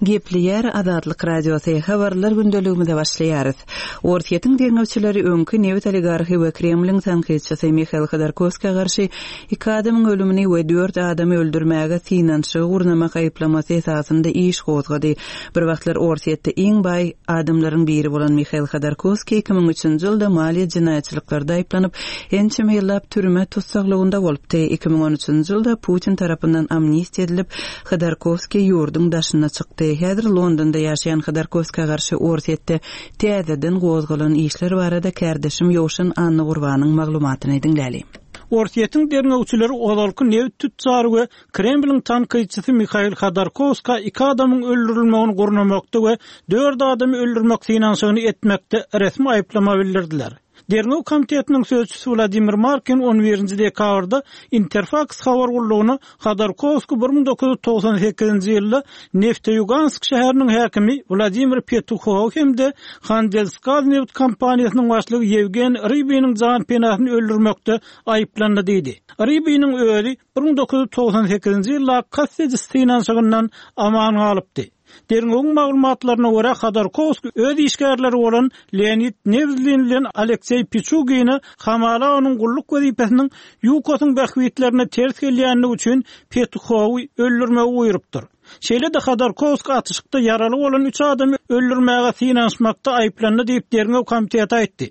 Gepleýär Azatlyk Radiosy, Habarlar gündeligimize başlaýarys. Orsýetiň derňewçileri öňki nebit oligarhy we Kremliň tankytçysy Mihail Hodorkowskä garşy iki adamyň ölümini we dört adamy öldürmäge synanyşygy gurnamak aýyplamasy esasynda iş gozgady. Bir wagtlar Orsýetde iň baý adamlaryň biri bolan Mihail Hodorkowskiý 2003-nji ýylda maliýe jenaýatçylyklarda aýyplanyp, ençeme ýyllap türme tussaglygynda bolupdy. 2013-nji ýylda Putin tarapyndan amnistiýa edilip, Hodorkowskiý ýurduň daşyna çykdy. Häzir Londonda ýaşaýan Hodorkowskä garşy Orsýetde täzeden gozgalan işler barada kärdeşim Ýowşan Annagurbanyň maglumatyny diňläli. Orsýetiň derňewçileri ozalky nebit tütjary we Kremliň tankytçysy Mihail Hodorkowskä iki adamyň öldürilmegini gurnamakda we dört adamy öldürmek synanyşygyny etmekde resmi aýyplama bildirdiler. Derňew komitetiniň sözçüsi Wladimir Markin on birinji dekabrda Interfaks habar gullugyna Hodorkowskiý 1998-nji ýylda Nefteýugansk şäheriniň häkimi Wladimir Petuhowy hem-de Handelsgaz nebit kompaniýasynyň başlygy Ýewgeniý Rybiniň janpenasyny öldürmekde aýyplandy diýdi. Rybiniň özi 1998-nji ýyldaky kast ediş synanyşygyndan aman galypdy. Derňewiň maglumatlaryna görä, Hodorkowskiý öz işgärleri bolan Leonid Newzlin bilen Alekseý Piçugine hamala onuň gulluk wezipesiniň ÝUKOS-yň bähbitlerine ters gelýändigi üçin Petuhowy öldürmegi buýrupdyr. Şeýle-de Hodorkowskiý atyşykda ýaraly bolan üç adamy öldürmäge synanyşmakda aýyplandy diýip, derňew komiteti aýtdy.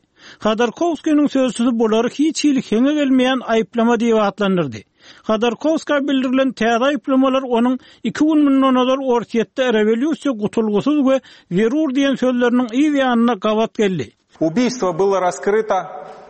Hodorkowskiniň sözçüsi bulary hiç hili heňe gelmeýän aýyplama diýip atlandyrdy. Hodorkowskä bildirilen täze aýyplamalar onuň iki gün mundan ozal Orsýetde rewolýusiýa gutulgysyz we zerur diýen sözleriniň yz ýanyna gabat geldi. Ubiýstvo bylo raskryto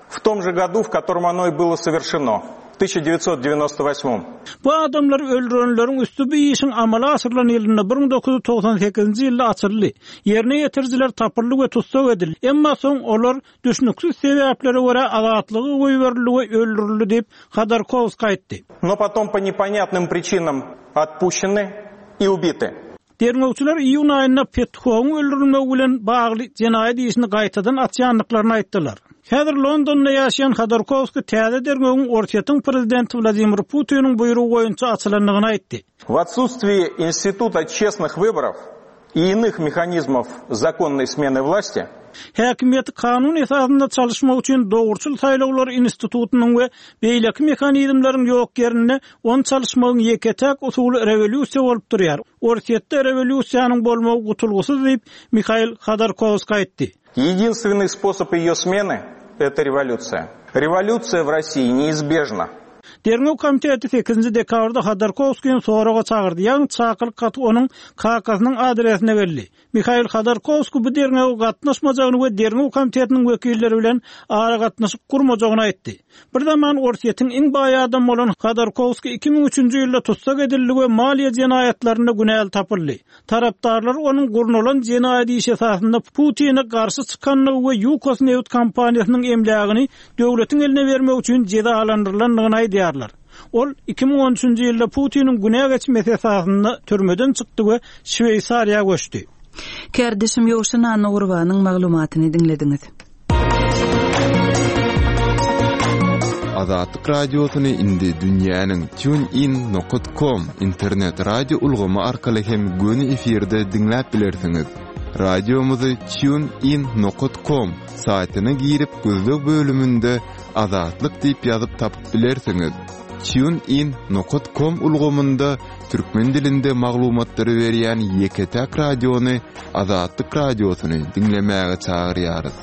w tom že godu, w kotorom ono i bylo sowerşeno, w 1998. Bu adamlary öldürenleriň üsti bu işiň amala aşyrylan ýylynda, 1998-nji ýylda açyldy. Ýerine ýetirijiler tapyldy we tussag edildi. Emma soň olar Düşnüksiz sebäplere görä azatlyga goýberildi we öldürildi diýip, Hodorkowskiý aýtdy. No potom po neponýatnym pričinam otpuşçeny i ubity. Derňewçiler iýun aýynda Petkowyň öldürilmegi bilen bagly jenaýat işini gaýtadan açýandyklaryny aýtdylar. Häzir Londonda ýaşaýan Hodorkowskiý täze derňewiň Orsýetiň prezidenti Wladimir Putiniň buýrugy boýunça açylandygyny aýtdy. W otsustwii instituta çestnyh wyborow i inych mehanizmow zakonnoý smeny wlasti. Häkimiýeti kanun esasynda çalyşmak üçin dogruçyl saýlawlar institutynyň we beýleki mehanizmleriň ýok ýerinde ony çalyşmagyň ýeke-täk usuly rewolýusiýa bolup durýar. Orsýetde rewolýusiýanyň bolmagy gutulgysyz diýip, Mihail Hodorkowskiý aýtdy. Ýedinstwennyý sposob eýo smeny, eto rewolýusiýa. Rewolýusiýa w Rossiýi neizbežna. Derňew komiteti sekizinji dekabrda Hodorkowskini soraga çagyrdy, ýagny çakylyk haty onuň kakasynyň adresine geldi. Mihail Hodorkowskiý bu derňewe gatnaşmajagyny we derňew komitetiniň wekilleri bilen aragatnaşyk gurmajagyny aýtdy. Bir zaman Orsýetiň iň baý adamy bolan Hodorkowskiý 2003-nji ýylda tussag edildi we maliýe jenaýatlarynda günäli tapyldy. Tarapdarlary onuň gurnalan jenaýat işi esasynda Putine garşy çykandygy we Ýukos nebit kompaniýasynyň emlägini döwletiň eline bermek üçin jezalandyrylandygyny aýdýarlar. Ol 2013-nji ýylda Putiniň günä geçmesi esasynda türmeden çykdy we Şweýsariýa göçdi. Kärdeşim Ýowşan Annagurbanyň maglumatyny diňlediňiz. Azatlyk Radiosyny indi dünýäniň TuneIn nokat com internet radio ulgamy arkaly hem göni efirde diňläp bilersiňiz. Radiomyzy TuneIn nokat com saýtyna girip gözleg bölüminde Azatlyk diýip ýazyp tapyp bilersiňiz. TuneIn nokat com ulgamynda türkmen dilinde maglumatlary berýän ýeke-täk radiony Azatlyk Radiosyny diňlemäge çagyrýarys.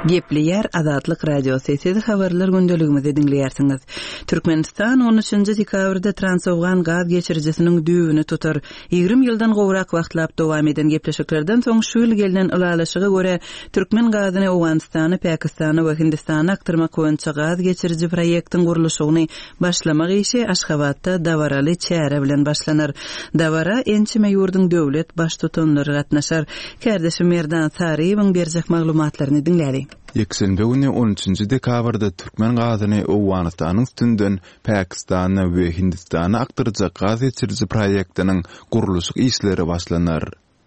Gepleýär Azatlyk Radiosy, siz habarlar gündeligimizi diňleýärsiňiz. Türkmenistan on üçünji dekabrda Transowgan gaz geçirijisiniň düýbüni tutar. 20 ýyldan gowrak wagtlap dowam eden gepleşiklerden soň şu ýyl gelnen ylalaşyga görä, türkmen gazyny Owganystana, Pakistana we Hindistana akdyrmak boýunça gaz geçiriji proýektiň gurluşygyny Başlamak işi Aşgabatda dabaraly çäre bilen başlanar. Dabara ençeme ýurduň döwlet Baştutanlary gatnaşar. Kärdeşim Merdan Saryýewiň berjek maglumatlaryny diňläli. Ýekşenbe güni on üçünji dekabrda türkmen gazyny Owganystanyň üstünden Pakistana we Hindistana akdyrjak gaz geçiriji proýektiniň gurluşyk işleri başlanar.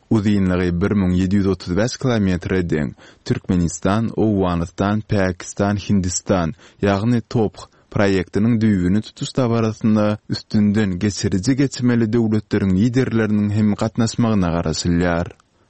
Uzynlygy 1735 kilometre deň Türkmenistan, Owganystan, Pakistan, Hindistan, ýagny TOPH. proýektiniň düýbüni tutuş dabarasyna üstünden geçiriji geçmeli döwletleriň liderleriniň hem gatnaşmagyna garaşylýar.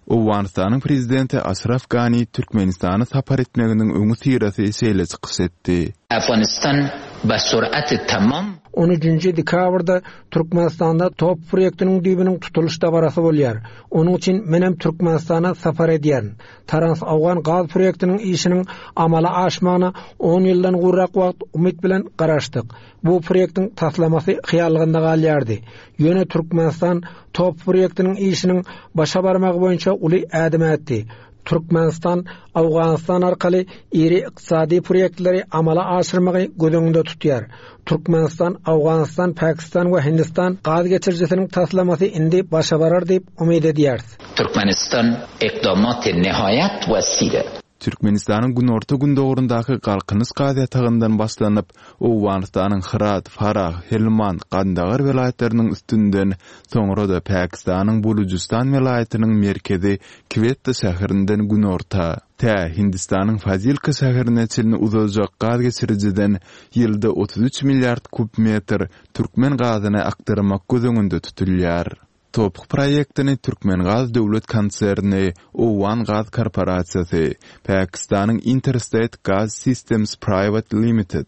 Owganystanyň Prezidenti Aşraf Gani Türkmenistana sapar etmeginiň öňüsyrasy şeýle çykyş etdi. Afganistan be surat tamam. On üçünji dekabrda Türkmenistanda top proýektiniň düýbüniň tutulyş dabarasy bolýar. Onuň üçin menem Türkmenistana sapar edýärin. Trans-Owgan gaz proýektiniň işiniň amala aşmagyna on ýyldan gowrak wagt umyt bilen garaşdyk. Bu proýektiň taslamasy hyýallygynda galýardy. Ýöne Türkmenistan top proýektiniň işiniň başa barmagy boýunça uly ädim ätdi. Türkmenistan Owganystan arkaly iri ykdysady proýektleri amala aşyrmagy göz öňünde tutýar. Türkmenistan, Owganystan, Pakistan we Hindistan gaz geçirijisiniň taslamasy indi başa barar diýip umyt edýäris. Türkmenistan ekdamat nihaýat we sire. Türkmenistanyň günorta-gündogaryndaky Galkynyş gaz ýatagyndan başlanyp, Owganystanyň Hyrat, Farah, Helmand, Gandagar welaýatlarynyň üstünden, soňra-da Pakistanyň Bulujystan welaýatynyň merkezi Kwetta şäherinden günorta, tä Hindistanyň Fazilka şäherine çenli uzajak gaz geçirijiden ýylda 33 milliard kub metr türkmen gazyny akdyrmak göz öňünde tutulýar. TOPH proýektini Türkmengaz döwlet konserni, Owgan gaz korporasiýasy, Pakistanyň Interstate Gas Systems Private Limited,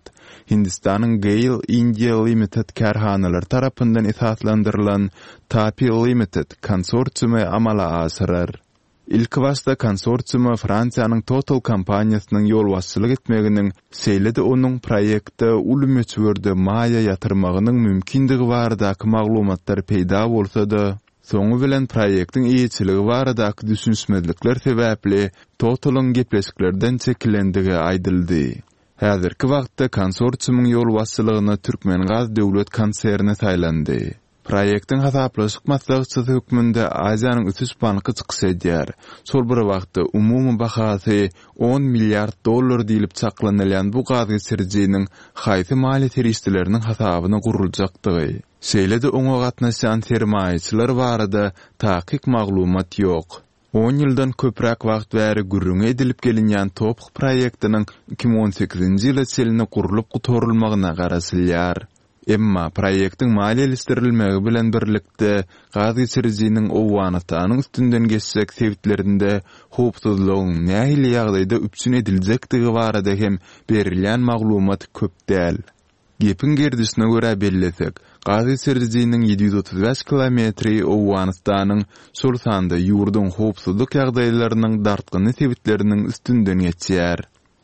Hindistanyň GAIL India Limited kärhanalary tarapyndan esaslandyrylan TAPI Limited konsorsiumy amala aşyrar. Ilkibaşda konsorsiuma Fransiýanyň Total kompaniýasynyň ýolbaşçylyk etmeginiň, şeýle-de onuň proýektde uly möçberde maýa ýatyrmagynyň mümkindigi baradaky maglumatlar peýda bolsa-da, soňy bilen proýektiň eýeçiligi baradaky düşünişmezlikler sebäpli Total-yň gepleşiklerden çekilendigi aýdyldy. Häzirki wagtda konsorsiumyň ýolbaşçylygyna Türkmengaz döwlet konserni saýlandy. Proýektiň hasaplaşyk maslahatçysy hökmünde Aziýanyň ösüş banky çykyş edýär. Şol bir wagtda, umumy bahasy on milliard dollar diýlip çaklanylýan bu gazgeçirijiniň haýsy maliýe serişdeleriniň hasabyna guruljakdygy, şeýle-de oňa gatnaşýan sermaýaçylar barada takyk maglumat ýok. On ýyldan köpräk wagt bäri gürrüňi edilip gelinýän TOPH proýektiniň 2018-nji ýyla çenli gurlup gutarylmagyna garaşylýar. Emma proýektiň maliýeleşdirilmegi bilen birlikde, gaz geçirijiniň Owganystanyň üstünden geçjek sebitlerinde howpsuzlygyň nähili ýagdaýda üpjün ediljekdigi barada hem berilýän maglumat köp däl. Gepiň gerdişine görä bellesek, gaz geçirijiniň 735 kilometri Owganystanyň, şol sanda ýurduň howpsuzlyk ýagdaýlarynyň dartgynly sebitleriniň üstünden geçýär.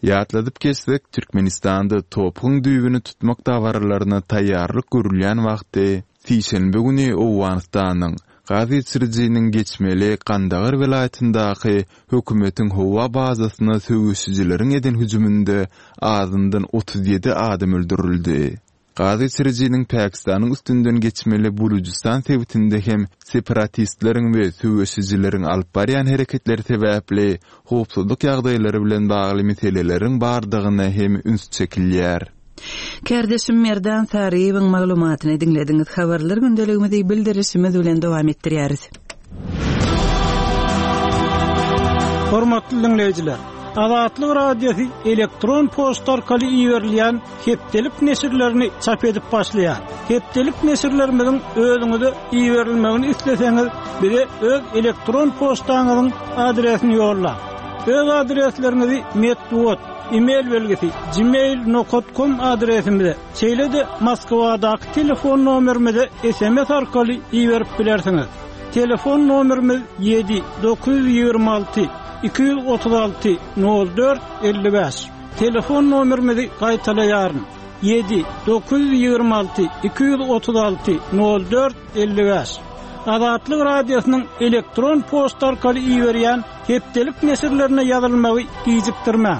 Ýatladyp geçsek, Türkmenistanda TOPH-yň düýbüni tutmak dabaralaryna taýýarlyk görülýän wagty, sişenbe güni Owganystanyň gaz geçirijiniň geçmeli Gandagar welaýatyndaky hökümetiň howa bazasyna söweşijileriň eden hüjüminde azyndan 37 adam öldürildi. Gaz geçirijiniň Pakistanyň üstünden geçmeli Bulujystan sebitinde hem separatistleriň we söweşijileriň alyp barýan hereketleri sebäpli howpsuzlyk ýagdaýlary bilen bagly meseleleriň bardygyna hem üns çekilýär. Kärdeşim Merdan Saryýewiň maglumatyny diňlediňiz. Habarlar gündeligimizi bildirişimiz bilen dowam etdirýäris. Hormatly diňleýjiler! Azatlyk Radiosy elektron poçta arkaly iberilýän hepdelik neşirlerini çap edip başlaýar. Hepdelik neşirlerimiziň özüňize iberilmegini isleseňiz, bize öz elektron poçtaňyzyň adresini ýollaň. Öz adresleriňizi metbugat, e-mail belgisi, gmail nokat kom adresimize, şeýle-de Moskwadaky telefon nomerimize sms arkaly iberip bilersiňiz. Telefon nomerimiz 7 926 236 04 55. Telefon nomerimizi gaýtalaýaryn, 7 926 236 04 55. Azatlyk Radiosynyň elektron poçta arkaly iberýän hepdelik neşirlerine ýazylmagy gijikdirmäň.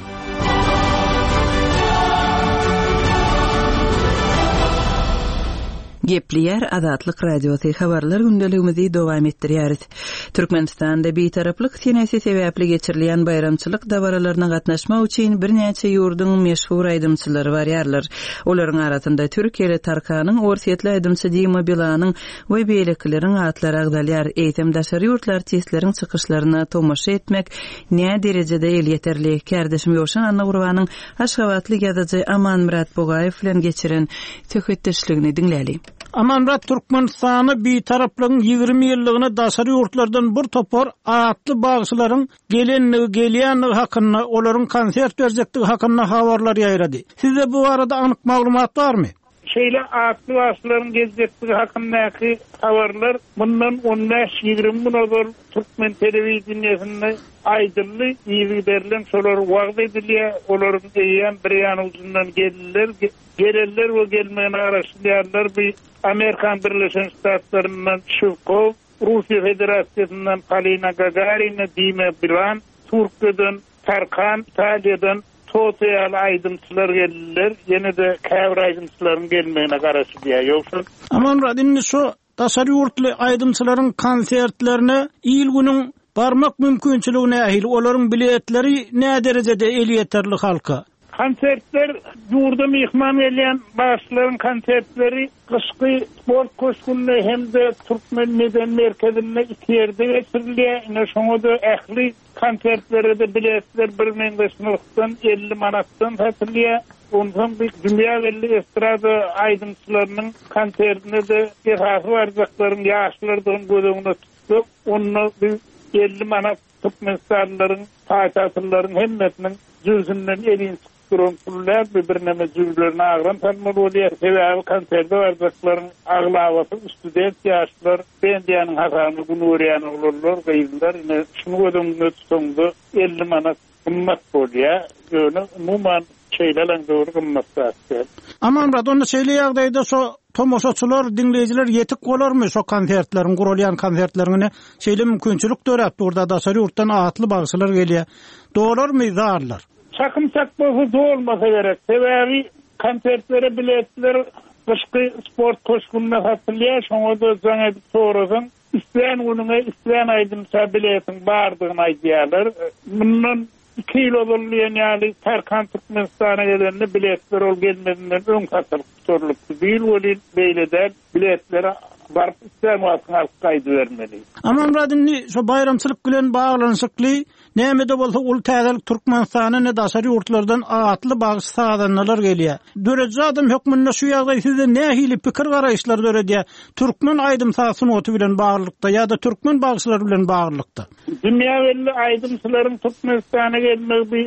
Gepleýär Azatlyk Radiosy, Habarlar gündeligimizi dowam etdirýäris. Türkmenistanda Bitaraplyk senesi sebäpli geçirilýän baýramçylyk dabaralaryna gatnaşmak üçin birnäçe ýurduň meşhur aýdymçylary barýarlar. Olaryň arasynda türkiýeli Tarkanyň, orsýetli aýdymçy Dima Bilanyň we beýlekileriň atlary agzalýar. Eýsem, daşary ýurtly artistleriň çykyşlaryna tomaşa etmek näderejede elýeterli? Kärdeşim Ýowşan Annagurbanyň aşgabatly ýazyjy Amanmyrat Bugaýew bilen geçiren söhbetdeşligini diňläli. Amanmyrat, Türkmenistanda Bitaraplygyň 20 ýyllygyna daşary ýurtlardan bir topar atly bagşylaryň gelendigi, gelýändigi hakynda, olaryň konsert berjekdigi hakynda habarlar ýaýrady. Sizde bu barada anyk maglumat barmy? Şeýle atly bagşylaryň geljekdigi hakyndaky habarlar mundan on bäş-ýigrimi gün ozal türkmen telewideniýesinde aýdyldy, yzygiderlem şolar wagyz edilýär, olaryň eýýäm bir ýan ujundan geldiler, gelenler we gelmegine garaşylýanlar bu Amerikan Birleşen Ştatlaryndan Şiwkow, Russiýa Federasiýasyndan Polina Gagarina, Dima Bilan, Türkiýeden Tarkan, Italiýadan Toto ýaly aýdymçylar geldiler. Ýene-de käbir aýdymçylaryň gelmegine garaşylýar. Ýogsa. Amanmyrat, indi şu daşary ýurtly aýdymçylaryň konsertlerine il-günüň barmak mümkinçiligi nähili? Olaryň biletleri näderejede elýeterli halka? Konsertler, ýurda myhman gelýän bagşylaryň konsertleri gyşky sport köşgünde hem-de Türkmen medeni merkezinde iki ýerde geçirilýär. Ine, şoňa-da ähli Konsertlere-de biletler birmeňzeş nyrhdan, 50 manatdan satylýar. Onsoň bu dünýä belli estrada aýdymçylarynyň konsertine-de esasy barjaklaryň ýaşlardygyny göz öňünde tutsak, onda bu 50 manat türkmenistanlylaryň, paýtagtlylaryň hemmesiniň jübüsinden elin çykyp duran pul däl, bu birneme jübülerine agram salmaly bolýar. Sebäbi konserte barjaklaryň aglabasy student ýaşlar, stipendiýanyň hasabyna gün görýän oglanlar, gyzlar. Ine, şuny göz öňünde tutaňda 50 manat gymmat bolýar. Ýöne umuman şeýle alaňda bir gymmat zat däl. Amanmyrat, onda şeýle ýagdaýda şo tomaşaçylar, diňleýjiler ýetik bolarmy şo konsertleriň, guralýan konsertleriň ine şeýle mümkinçilik döräp dur-da, daşary ýurtdan atly bagşylar gelýär. Dolarmy zallar? Çakym çak bolsa dolmasa gerek. Sebäbi konsertlere biletler gyşky sport köşgünde satylýar. Şoňa-da jaň edip sorasaň, islän günüňe islän aýdymça biletiň bardygyny aýdýarlar. Mundan iki ýyl ozal diýen ýaly Tarkan Türkmenistana gelende biletler ol gelmezinden öň satylyp gutarylypdy. Bu ýyl welin beýle däl. Biletleri baryp islän wagtyň alyp gaýdybermeli. Amanmyrat indi şo baýramçylyk bilen baglanyşykly Näme-de bolsa uly täzelik Türkmenistana ne daşary ýurtlardan atly bagşy-sazandalar gelýär. Dörediji adam hökmünde şu ýagdaý sizde nähili pikir-garaýyşlar döredýär türkmen aýdym-saz sungaty bilen baglylykda ýa-da türkmen bagşylary bilen baglylykda? Dünýä belli aýdymçylaryň Türkmenistana gelmegi bu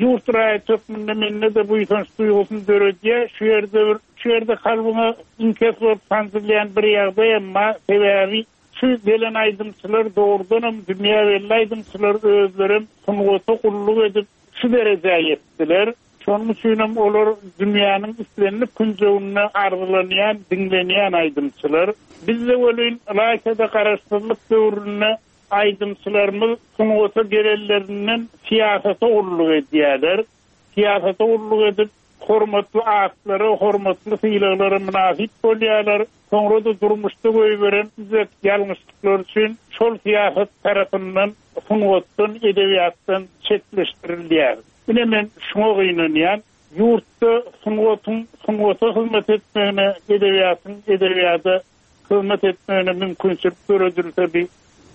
ýurt raýaty hökmünde mende-de buýsanç duýgusyny döredýär. Şu ýerde bir şu ýerde kalbyňa iňkes bolup sanjylýan bir ýagdaýam bar. Sebäbi Şu gelen aýdymçylar dogrudanam dünýä belli aýdymçylar özlerem sungata gulluk edip şu derejä ýetdiler. Şonuň üçinem olar dünýäniň islendik künjeginde arzylanýan, diňlenýän aýdymçylar. Bizde welin ylaýta-da garaşsyzlyk döwründe aýdymçylarymyz sungata gelenlerinden syýasata gulluk edýärler. Syýasata gulluk edip, hormatly atlara, hormatly sylaglara mynasyp bolýarlar. Soňra-da durmuşda goýberen düzet ýalňyşlyklary üçin şol syýasat tarapyndan sungatdan, edebiýatdan çetleşdirilýär. Ine men şuňa gynanýan. Ýurtda sungatyň sungata hyzmat etmegine, edebiýatyň edebiýada hyzmat etmegine mümkinçilik döredilse bi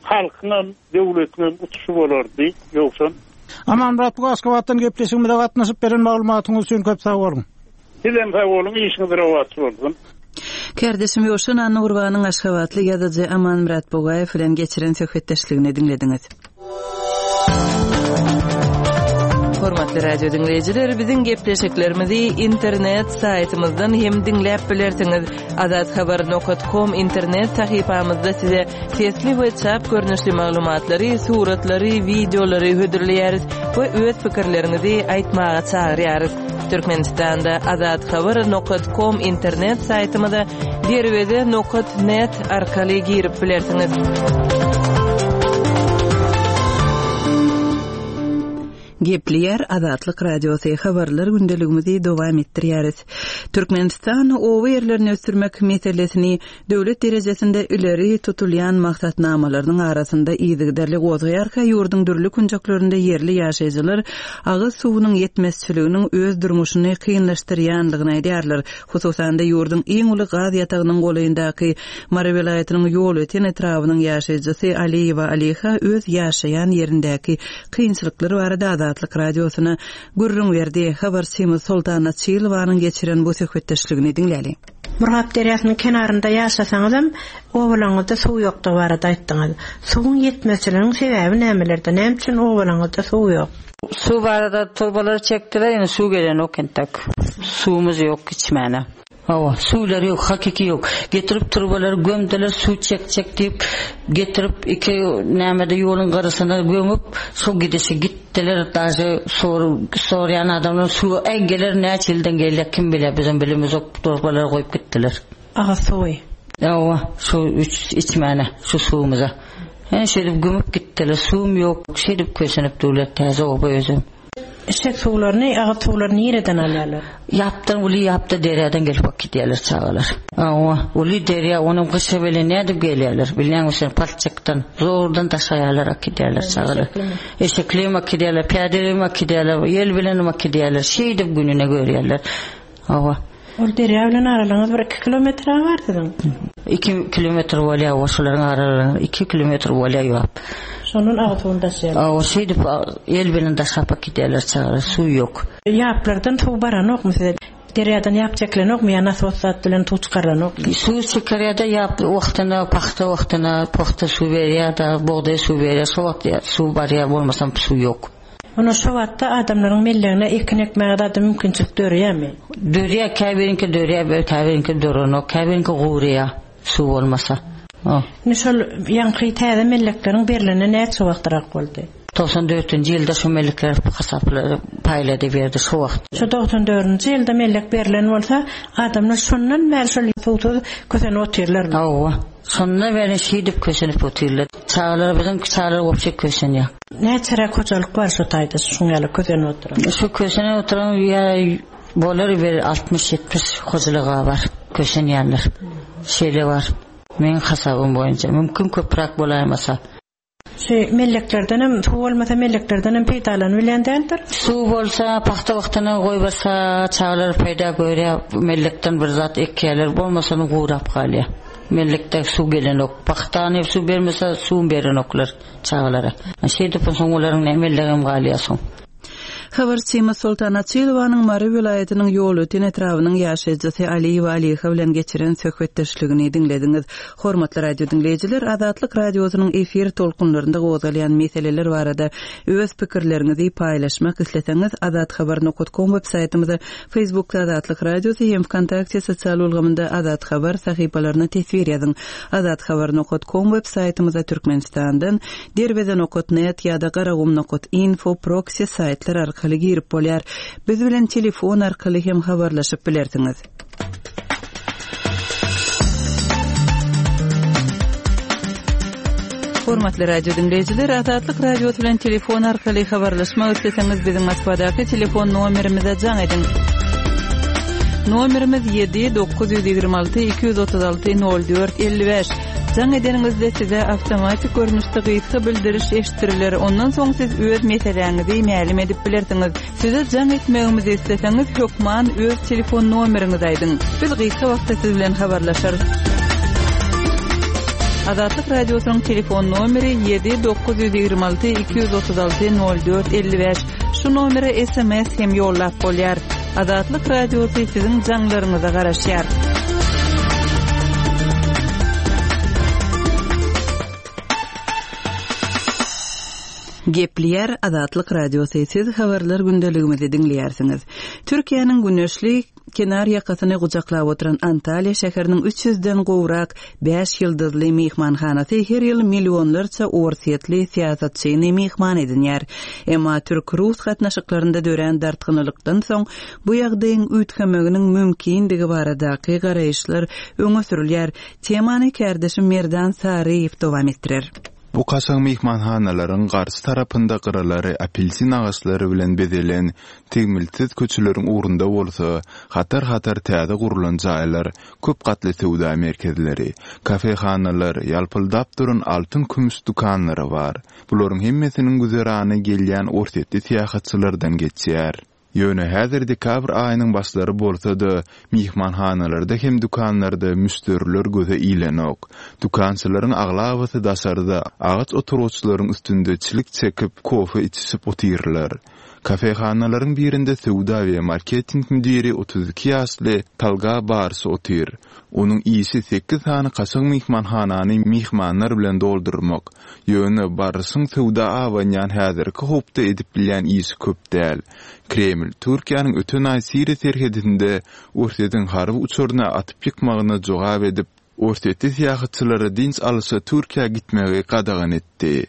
halkyňam, döwletiňem utuşy bolardy, Ýowşan. Amanmyrat bu Aşgabatdan gepleşigimize gatnaşyp beren maglumatyňyz üçin köp sag boluň. Sizem sag boluň, işiňiz rowaç bolsun. Kärdeşim Ýowşan Annagurbanyň aşgabatly ýazyjy Amanmyrat Bugaýew bilen geçiren söhbetdeşligini diňlediňiz. Hormatly radio diňleýjiler, biziň gepleşiklerimizi internet saýtymyzdan hem diňläp bilersiňiz. Azathabar nokat kom internet sahypamyzda size sesli we çap görnüşli maglumatlary, suratlary, wideolary hödürleýäris we öz pikirleriňizi aýtmaga çagyrýarys. Türkmenistanda Azathabar nokat kom internet saýtymyza derweze nokat net arkaly girip bilersiňiz. Gepleýär Azatlyk Radiosy, Habarlar gündeligimizi dowam etdirýäris. Türkmenistan oba ýerlerini ösdürmek meselesini döwlet derejesinde ileri tutulýan maksatnamalarynyň arasynda yzygiderli gozgaýarka, ýurduň dürli künjeklerinde ýerli ýaşaýjylar agyz suwunyň ýetmezçiliginiň öz durmuşyny kynlaşdyrýanlygyny aýdýarlar. Hususan-da, ýurduň iň uly gaz ýatagynyň golaýyndaky Mary welaýatynyň Ýolöten etrabynyň ýaşaýjysy Aliýewa Aliha öz ýaşaýan ýerindäki kynçylyklar barada Azatlyk Radiosyna gürrüň berdi. Habarçymyz Soltan Açylowanyň geçiren bu söhbetdeşligini diňläliň. Murgap derýasynyň kenarynda ýaşasaňyzam, obalaryňyzda suw ýokdugy barada aýtdyňyz. Suwuň ýetmezçiliginiň sebäbi nämelerde? Näme üçin obalaryňyzda suw ýok? Suw barada turbalary çekdiler, indi suw gelenok entek. Suwumyz ýok içmäne. Hawa, suwlary ýok, hakyky ýok. Getirip turbalary gömdüler, suw çekjek diýip, getirip iki nämede ýoluň gyrasyna gömüp, şo gidişi gitdiler. Daže sor, sorýan adamlar suw äý geler näçe ýyldan gelýär kim bilýär, bizem bilemizok, turbalary goýup gitdiler. Agyz suwy. Hawa, şu üç içmäne, şu suwumyza. Ine şeýdip gömüp gitdiler, suwum ýok, şeýdip kösenip durlar täze oba özem. Içjek suwlaryny, agyz suwlaryny nireden alýarlar? Ýapdan, uly ýapda derýadan gelip äkidýärler çagalar. Hawa, uly derýa, onam gyşa bilen nädip gelýärler? Bilýäňmi sen, palçykdan, zordan daşaýarlar, äkidýärler çagalar. Eşekli hem äkidýärler, pyýada hem äkidýärler, ýel bilenem äkidýärler. Şeýdip gününe görýärler. Hawa. Ol derýa bilen aralygyňyz bir iki kilometre bar siziň. Iki kilometr bolýar, o şolaryň aralygy iki kilometr bolýar ýok. Şondan agyz suwuny daşaýarlar. Hawa, şeýdip el bilen daşap äkidýärler çagalar, suw ýok. Ýaplardan suw baranokmy size? Derýadan ýap çekilenokmy ýa nasos zat bilen suw çykarylanokmy? Suw çekirýär-de ýap wagtynda, pagta wagtynda, pagta suw berýär-de, bugdaý suw berýär, şo wagt suw barýar, bolmasam suw ýok. Onda şo wagtda adamlaryň mellegine ekin ekmäge zada mümkinçilik döreýärmi? Dörýär, käbiriňki dörýär, käbiriňki dörenok, käbiriňki guraýar suw bolmasa. Indi şol ýaňky täze mellekleriň berlenine näçe wagtrak boldy? 94 dördünji ýylda şo mellekler hasapla paýlady berdi şo wagt. Şo 94 nji ýylda mellek berlen bolsa, adamlar şondan bäri şol suwsuz kösenip otyrlarmy? Hawa. Şondan bäri şeýdip kösenip otyrlar. Çagalar biziň çagalar wobşe kösenýär. Näçeräk hojalyk bar şo taýda şuň ýaly kösenip oturan? Şu kösenip oturan ýa bolar bir 60-70 hojalyga bar kösenýänler. Şeýle bar. Meň hasabym boýunça mümkin köpräk bolaýmasa. Şu melleklerdenem suw bolmasa melleklerdenem peýdalanybilýän däldir. Suw bolsa pagta wagtyna goýberse çagalar peýda görýär mellekden bir zat ekýärler bolmasa gurap galýar. Mellekde suw gelenok. Pagtany suw bermese suw berenoklar. Çagalara. Şeýdip soň olaryň näme mellegem galýar soň. Habarçymyz Soltan Açylowanyň Mary welaýatynyň Ýolöten etrabynyň ýaşaýjysy Aliýewa Aliha bilen geçiren söhbetdeşligini diňlediňiz. Hormatly radio diňleýjiler, Azatlyk Radiosynyň efir tolkunlarynda gozgalýan meseleler barada öz pikirleriňizi paýlaşmak isleseňiz, azathabar nokat kom web saýtymyza, Facebookda Azatlyk Radiosy hem Wkontakte sosial ulgamynda Azat Habar sahypalaryna teswir ýazyň. Azathabar nokat kom web saýtymyza Türkmenistandan Derweze nokat net ýa-da Garagum nokat info proksi saýtlar arkaly girip bolýar. Biz bilen telefon arkaly hem habarlaşyp bilersiňiz. Hormatly radio diňleýjiler, Azatlyk Radiosy bilen telefon arkaly habarlaşmak isleseňiz, biziň Moskwadaky telefon nomerimize jaň ediň. Nomerimiz 7 926 236 04 55. Jaň edeniňizde size awtomatik görnüşde gysga bildiriş eşitdiriler. Ondan soň siz öz meseläňizi mälim edip bilersiňiz. Size jaň etmegimizi isleseňiz, hökman öz telefon nomeriňizi aýdyň. Biz gysga wagtda siz bilen habarlaşarys. Azatlyk Radiosynyň telefon nomeri 7 926 236 04 55. Şu nomere sms hem ýollap bolýar. Azatlyk Radiosy siziň jaňlaryňyza garaşýar. Gepleýär Azatlyk Radiosy, siz habarlar gündeligimizi diňleýärsiňiz. Türkiýäniň güneşli kenar ýakasyny gujaklap oturan Antalýa şäheriniň üç ýüzden gowrak bäş ýyldyzly myhmanhanasy her ýyl millionlarça orsýetli syýasatçyny myhman edinýär. Emma türk-rus gatnaşyklarynda dörän dartgynlylykdan soň bu ýagdaýyň üýtgemeginiň mümkindigi baradaky garaýyşlar öňe sürülýär. Temany kärdeşim Merdan Saryýew dowam etdirer. Bu kaşaň myhmanhanalaryň garşy tarapynda gyralary apelsin agaçlary bilen bezelen tegmiltsiz köçeleriň ugrunda bolsa hatar-hatar täze gurlan jaýlar, köp gatly söwda merkezleri, kafehanalar, ýalpyldap duran altyn-kümüş dükanlary bar. Bularyň hemmesiniň güzerany gelýän orsýetli syýahatçylardan geçýär. Ýöne häzir dekabr aýynyň başlary bolsa-da, myhmanhanalarda hem dükanlarda müşderiler göze ilenok. Dükançylaryň aglabasy daşarda, agaç oturgyçlaryň üstünde çilik çekip, kofe içişip otyrlar. Kafehanalaryň birinde söwda we marketing müdiri 32 ýaşly Talga Baryş otyr. Onuň işi sekiz sany kaşaň myhmanhanany myhmanlar bilen doldurmak. Ýöne Baryşyň söwda abanýan häzirki howpda edip bilýän işi köp däl. Kreml Türkiýäniň öten aý Siriýa serhedinde Orsýetiň harby uçaryny atyp ýykmagyna jogap edip, orsýetli syýahatçylara dynç alyşa Türkiýä gitmegi gadagan etdi.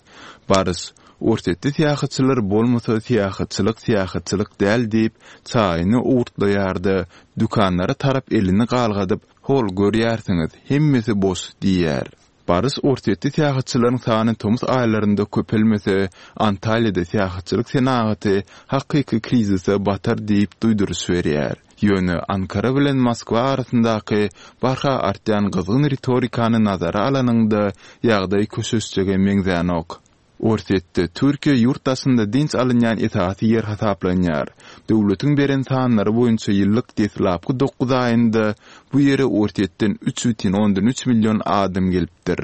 Baryş, Orsýetli syýahatçylar bolmasa syýahatçylyk syýahatçylyk däl diýip, çaýyny owurtlaýar-da, dükanlara tarap elini galgadyp, Hol, görýärsiňiz, hemmesi boş diýýär. Baryş Orsýetli syýahatçylaryň sany tomus aýlarynda köpelmese, Antalýada syýahatçylyk senagaty hakyky krizise batar diýip duýduryş berýär. Ýöne Ankara bilen Moskwa arasyndaky barha artýan gyzgyn ritorikany nazara alanyňda, ýagdaý köşeşjege meňzänok. Orsýetde Türkiýe ýurt daşynda dynç alynýan esasy ýer hasaplanýar. Döwletiň beren sanlary boýunça ýyllyk deslapky dokuz aýynda bu ýere Orsýetden 3,3 million adam gelipdir.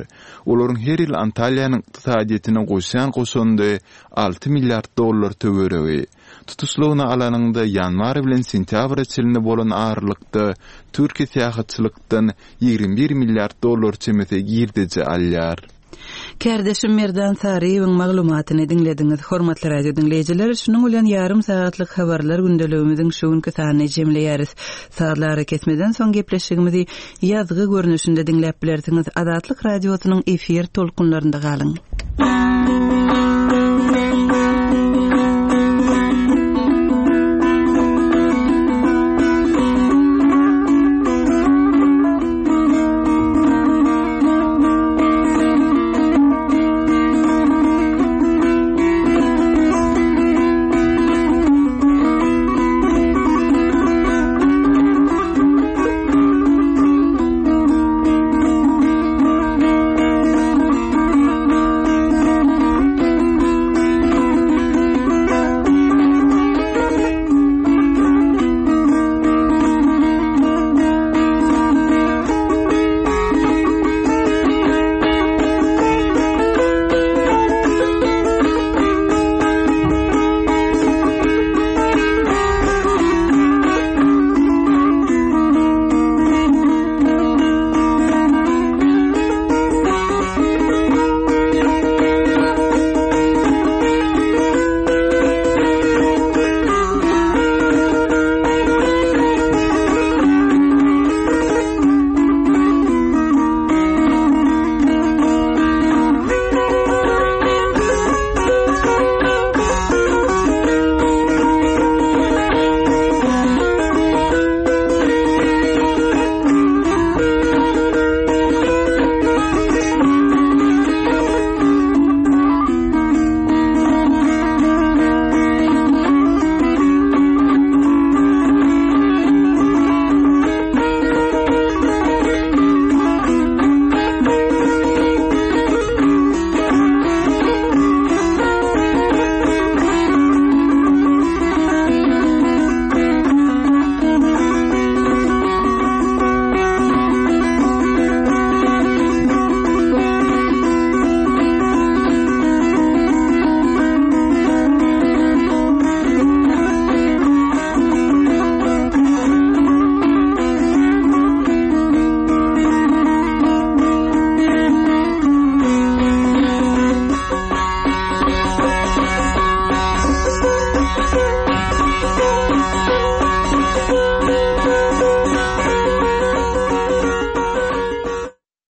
Olaryň her ýyl Antalýanyň ykdysadyýetine goşýan goşandy alty milliard dollar töweregi. Tutuşlygyna alanyňda ýanwar bilen sentýabra çenli bolan aralykda Türkiýe syýahatçylykdan 21 milliard dollar çemesi girdeji alýar. Kärdeşim Merdan Saryýewiň maglumatyny diňlediňiz. Hormatly radio diňleýjiler, şunuň bilen ýarym sagatlyk habarlar gündeligimiziň şu günki sanyny jemleýäris. Sazly arakesmeden soň gepleşigimizi ýazgy görnüşinde diňläp bilersiňiz. Azatlyk Radiosynyň efir tolkunlarynda galyň.